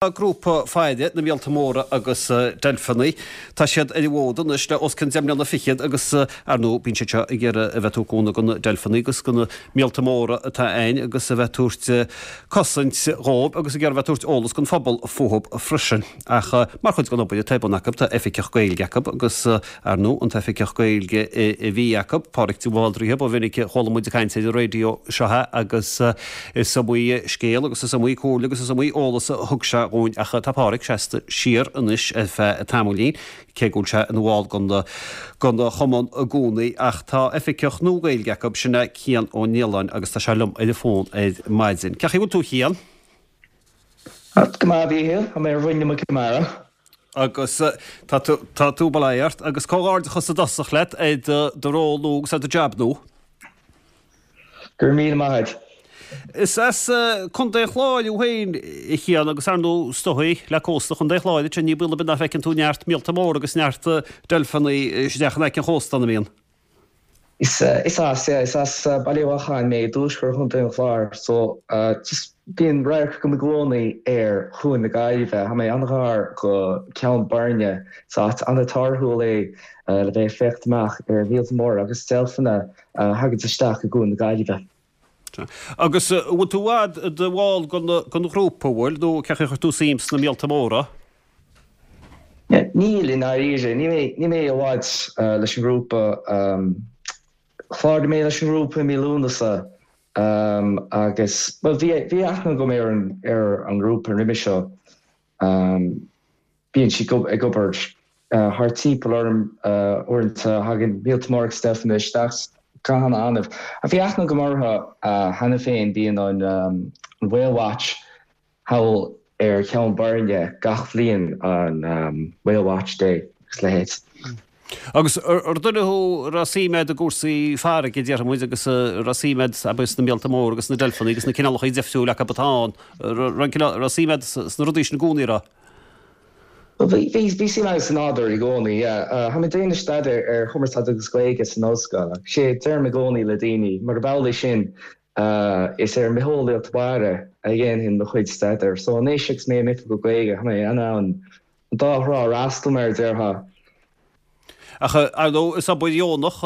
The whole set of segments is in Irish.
Grúpa Faire na Míolta Móra agus Deilfeanna. Tá siad ar an bhfód anois le os cionn 10 mbliana fichead agus, ar ndóigh, bíonn siad seo ag iarraidh a bheith ag tabhairt cúnamh do na deilfeanna agus do na míolta móra atá ann agus a bheith ag tabhairt cosaint dhóibh agus ag iarraidh a bheith ag tabhairt eolas don phobal fúthu freisin. Ach mar chuid den obair atá ar bun acu tá Oifigeach Gaeilge acu agus, Ar ndóigh, an tOifigeach Gaeilge a bhí acu, Pádraig de Bhaldraithe, ba mhinic a chuala muid ag caint ar an raidió seo é agus is iomaí scéal agus is iomaí comhairle agus is iomaí eolas a thug sé dhúinn ach tá Pádraig seasta siar anois ar feadh tamaillín, cé go bhfuil sé ina bhall den chumann i gcónaí. Ach tá Oifigeach nua Gaeilge acu, sin é Cian Ó Nialláin agus tá sé liom ar an bhfón ar maidin. Cén chaoi a bhfuil tú a Chian? Go maith, a Mhíchíl. Tá mé ar mhuin na muice mara. Agus tá tú, tá tú, bail ó Dhia ort, agus comhghairdeachas i dtosach leat ar do, do ról nua agus ar do jab nua. Go raibh míle maith agat. Is as Contae an Chláir thú féin, a Chian, agus ar ndóigh, is dóigh, le cósta Chontae an Chláir ansin, ní baol ar bith nach bhfeiceann tú neart míolta móra agus neart deilfeanna isteach in aice an chósta ann, an mbíonn? Is as, yeah, is as Baile Bheacháin mé i dtuaisceart Chontae an Chláir so just bíonn radharc agam i gcónaí ar Chuan na Gaillimhe. Tá mé an-ghar go Ceann Boirne, is áit an-torthúil é le bheith ag féachaint amach ar mhíolta móra agus deilfeanna a thaganns isteach i gCuan na Gaillimhe. Agus an bhfuil tú i bhfad i do bhall den ghrúpa, an bhfuil, nó cén chaoi ar chuir tú suim sna míolta móra? Níl, i ndáiríre. Níl mé i bhfad leis an ngrúpa. Chláraigh mé leis an ngrúpa i mí Lúnasa agus, bhuel, bhí bhí aithne agam ar an ar an ngrúpa roimhe seo. Bíonn siad ag obair thart timpeall orm uaireanta, thagann míolta móra agus deilfeanna isteach go han-annamh. Ach bhí aithne agam orthu cheana féin, bíonn an Whale Watch thall ar Cheann Boirne gach bhliain an Whale Watch Day agus a leithéid. Agus ar duine thú a raibh suim agat i gcúrsaí farraige, déarfaidh muid, agus a raibh suim agat, abair, sna míolta móra agus sna deilfeanna agus na cineálacha difriúla acu atá ann, raibh suim agat sna rudaí sin i gcónaí, an raibh? Bhuel, bhí, bhí suim agam sa nádúr i gcónaí, yeah. Tá mé ag déanamh staidéir ar chumarsáid agus Gaeilge san ollscoil agus sé a deirim i gcónaí le daoine, murab amhlaidh sin, Is ar an mbitheolaíocht mhara a dhéanfainn mo chuid staidéir. So anois agus mé i m'oifigeach Gaeilge, tá mé in ann an dá thrá a fhreastal, mar a déarfá. Ach ar ndóigh, is obair dheonach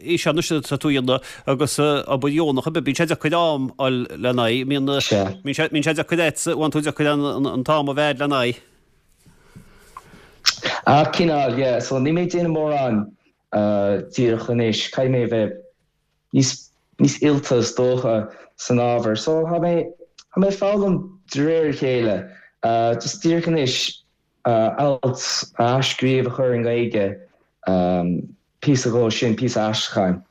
í seo anois atá tú a dhéanamh agus obair dheonach ar bith, bíonn sé deacair am a fháil lena aghaidh. Bíonn, sé, bíonn sé deacair agatsa, bhfuil tú deacair an t-am a bheith lena aghaidh? Ah, cineál, yeah. So níl mé ag déanamh mórán díreach anois. Caithfidh mé a bheith níos níos oilte is dócha san ábhar. So tá mé tá mé ag foghlaim de réir a chéile. Just díreach anois alt a athscríobh a chur i nGaeilge, píosa dhó sin, píosa aistriúcháin.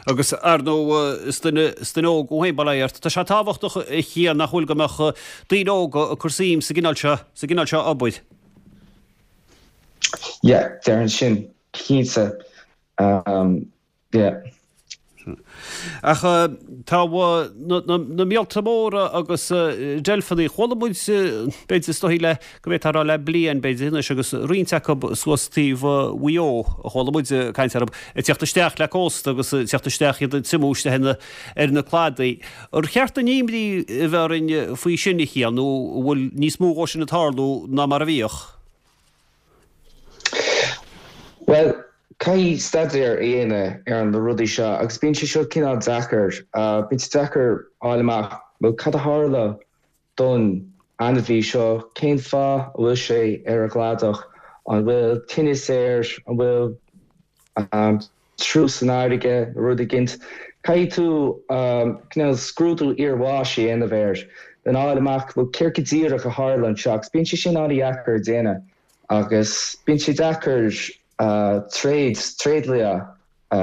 Agus ar ndóigh is duine is duine óg thú féin, bail ó Dhia ort. Tá sé tábhachtach a Chian nach bhfuil go mbeadh daoine óga ag cur suim sa gcineál seo sa gcineál seo obair. Yeah, déarfainn sin, cinnte. Yeah. Ach tá na míolta móra agus deilfeanna, chuala muid, b'fhéidir is dóigh le, go bhféadfá a rá le bliain b'fhéidir anois agus roinnt acu suas taobh Mhaigh Eo a chuala muid caint orthu, ag tíocht isteach le cósta agus ag tíocht isteach iad ag triomú isteach ar na cladaí. Ar cheart dúinn imní a bheith orainn faoi sin a Chian nó an bhfuil níos mó dhó sin ag tarlú ná mar a bhíodh? Bhuel, caithfidh staidéar a dhéanamh ar na rudaí seo agus bíonn sé seo cineál deacair. Bíonn sé deacair fháil amach, bhuel, cad a tharla don ainmhí seo, cén fáth a bhfuil sé ar an gcladach, an bhfuil tinneas air, an bhfuil triúch san fharraige nó rud éigint. Caithfidh tú cineál scrúdú iarbháis a dhéanamh air lena fháil amach bhuel céard go díreach a tharla anseo agus bíonn sé sin an-dheacair a dhéanamh agus bíonn sé deacair tréad, tréidlia a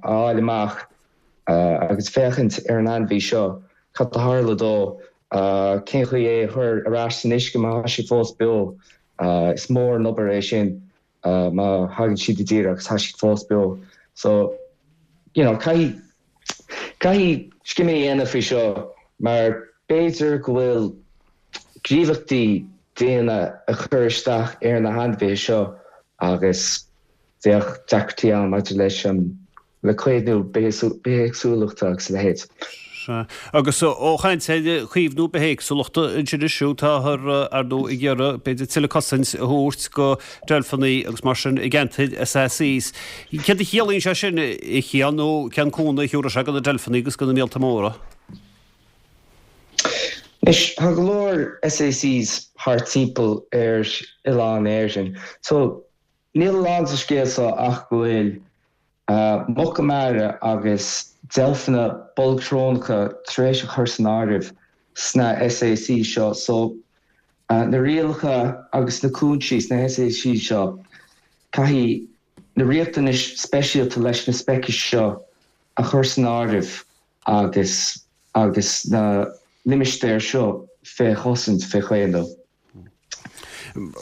fháil amach agus féachaint ar an ainmhí seo, cad a tharla dó, cén chaoi é a chur ar ais san uisce má tá sé fós beo. Is mór an obair é sin. má thagann siad i dtír agus tá siad fós beo. So, you know, caithfidh, caithfidh scéim a dhéanamh faoi seo mar b'fhéidir go bhfuil gníomhaíochtaí daonna ag cur isteach ar na hainmhithe seo agus bheadh deacrachtaí ann maidir leis an, le caomhnú bithéagsúlachta agus a leithéid. Sea. Agus ó chaint ar chaomhnú bithéagsúlachta ansin is siúd, táthar, ar ndóigh, ag iarraidh, b'fhéidir, tuilleadh cosaint a thabhairt go deilfeanna agus mar sin i gceantair SACs. Céard a chiallaíonn sé sin, a Chian, nó cén cúnamh a thiúrfaidh sé go na deilfeanna agus go na míolta móra? Anois, tá go leor SACs thart timpeall ar oileán Éireann. So, níl a lán sa scéal seo ach go bhfuil Muca mara agus deilfeanna bolgshrónacha tar éis a chur san áireamh sna SAC seo so na rialacha agus na cúinsí sna SAC seo caithfidh na riachtanais speisialta leis na speicis seo a chur san áireamh agus agus na limistéir seo fé chosaint, fé chaomhnú.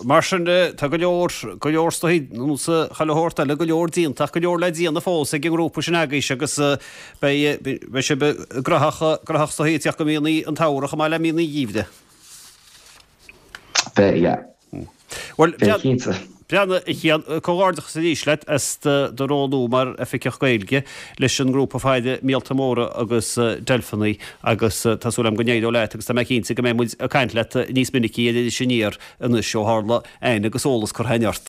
Mar sin de, tá go leor, go leor is dóichí, nó sa chuile shórt eile, go leor déanta ach go leor le déanamh fós ag an ngrúpa sin agaibhse agus beidh, beidh sibh graitheach, graitheach is dóichí ag teacht go míonna an tsamhraidh chomh maith le míonna an gheimhridh. Beidh, yeah. Bhuel, Beidh cinnte. Breathnaigh, a Chian, comhghairdeachas arís leat as do roghnú mar Oifigeach Gaeilge leis an ngrúpa faire Míolta Móra agus Deilfeanna agus tá súil agam go n-éireoidh leat agus tá mé cinnte go mbeidh muid ag caint leat níos minicí ar Iris Aniar anois ó tharla aithne agus eolas curtha againn ort.